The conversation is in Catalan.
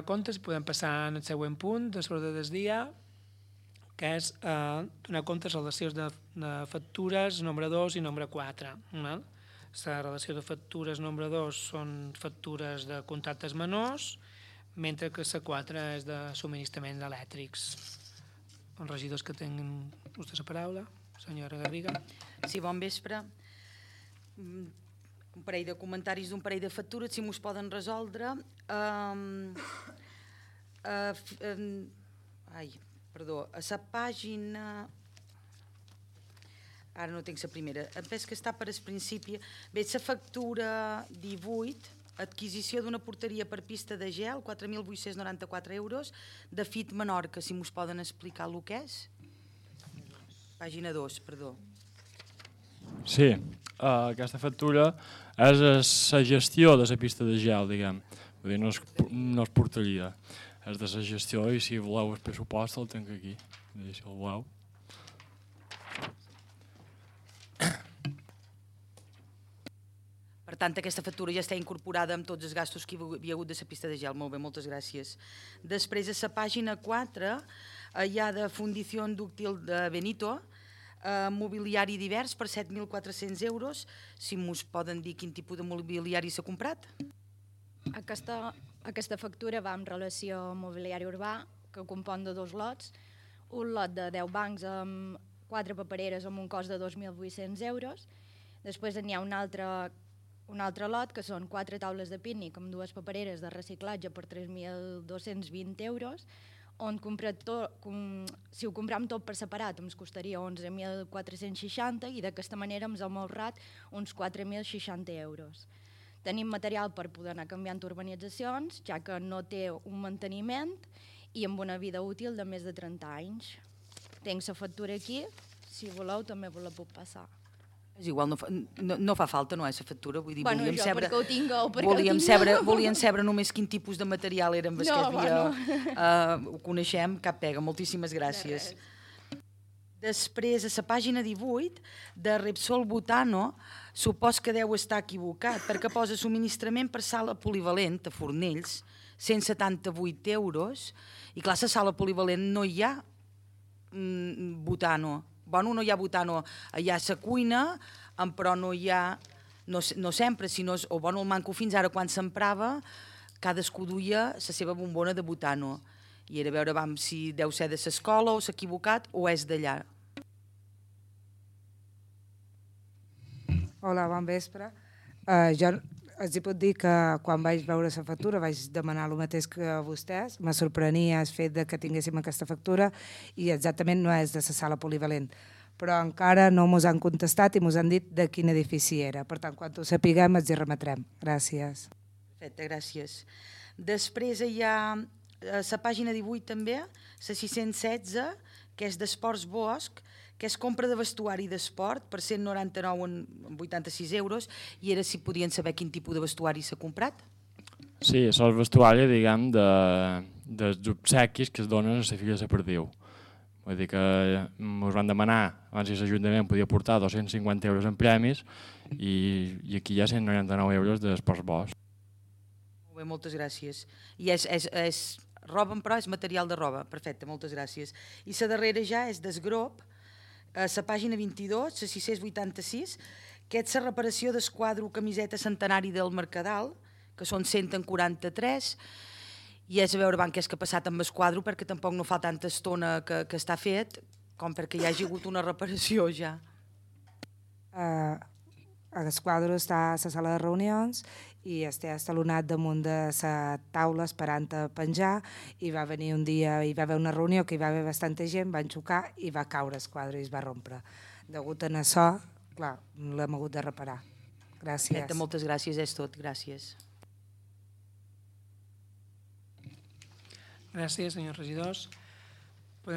comptes, podem passar en el següent punt de l'ordre del dia, que és donar comptes relacions de factures nombre 2 i nombre 4. La relació de factures nombre 2 són factures de contractes menors, mentre que la 4 és de subministraments elèctrics. Els regidors que tinguin vostè la paraula. Senyora Garriga. Sí, bon vespre. Un parell de comentaris d'un parell de factures, si m'ho poden resoldre. Perdó, a la pàgina... Ara no tinc la primera. Em penso que està per al principi. Bé, la factura 18, adquisició d'una porteria per pista de gel, 4.894 euros, de FIT Menorca, si m'ho poden explicar el que és. Pàgina 2, perdó. Sí, aquesta factura és la gestió de la pista de gel, diguem. Vull dir, no és porteria. És de la gestió i si voleu el pressupost el tinc aquí. Si el voleu. Per tant, aquesta factura ja està incorporada amb tots els gastos que hi havia hagut de la pista de gel. Molt bé, moltes gràcies. Després, a la pàgina 4, hi ha de Fundició Dúctil de Benito, mobiliari divers per 7.400 euros. Si m'ho poden dir quin tipus de mobiliari s'ha comprat? Aquesta factura va en relació amb mobiliari urbà, que compon de 2 lots. Un lot de 10 bancs amb 4 papereres amb un cost de 2.800 euros. Després n'hi ha un altre lot, que són 4 taules de pícnic amb 2 papereres de reciclatge per 3.220 euros, on si ho compram tot per separat ens costaria 11.460 i d'aquesta manera ens hem ahorrat uns 4.060 euros. Tenim material per poder anar canviant urbanitzacions, ja que no té un manteniment i amb una vida útil de més de 30 anys. Tinc la factura aquí, si voleu també vos la puc passar. És igual, no fa falta, no és la factura, vull dir, bueno, volíem saber... Volíem saber només quin tipus de material era amb el que havia... Ho coneixem, cap pega, moltíssimes gràcies. Després, a la pàgina 18, de Repsol Butano, supos que deu estar equivocat, perquè posa subministrament per sala polivalent a Fornells, 178 euros, i clar, a la sala polivalent no hi ha butano. Bueno, no hi ha butano, hi ha la cuina, però no hi ha, no sempre, sinó, o bueno, el manco fins ara quan s'emprava, cadascú duia la seva bombona de butano. I era veure si deu ser de l'escola o s'ha equivocat o és d'allà. Hola, bon vespre. Jo els puc dir que quan vaig veure la factura vaig demanar el mateix que vostès. Me sorprenia el fet que tinguéssim aquesta factura i exactament no és de la sala polivalent. Però encara no ens han contestat i ens han dit de quin edifici era. Per tant, quan ho sapiguem ens hi remetrem. Gràcies. Perfecte, gràcies. Després hi ha la pàgina 18 també, la 616, que és d'Esports Bosch, que és compra de vestuari d'esport per 199,86 euros, i era si podien saber quin tipus de vestuari s'ha comprat. Sí, és el vestuari, diguem, dels obsequis que es donen a la filla de la perdiu. Vull dir que ens van demanar, abans si l'Ajuntament podia portar 250 euros en premis i aquí hi ha 199 euros d'Esports Bosch. Molt bé, moltes gràcies. I és roba, però és material de roba. Perfecte, moltes gràcies. I la darrera ja és d'Esgrop, a la pàgina 22, la 686, que és la reparació del quadre camiseta centenari del Mercadal, que són 143, i és a veure què és que ha passat amb el quadre, perquè tampoc no fa tanta estona que està fet, com perquè hi hagi hagut una reparació ja. El quadre està a la sala de reunions i està estalonat damunt de la taula esperant a penjar, i va venir un dia, hi va haver una reunió que hi va haver bastanta gent, van xocar i va caure el quadre i es va rompre. Degut a això, clar, l'hem hagut de reparar. Gràcies. Moltes gràcies, és tot, gràcies. Gràcies, senyors regidors.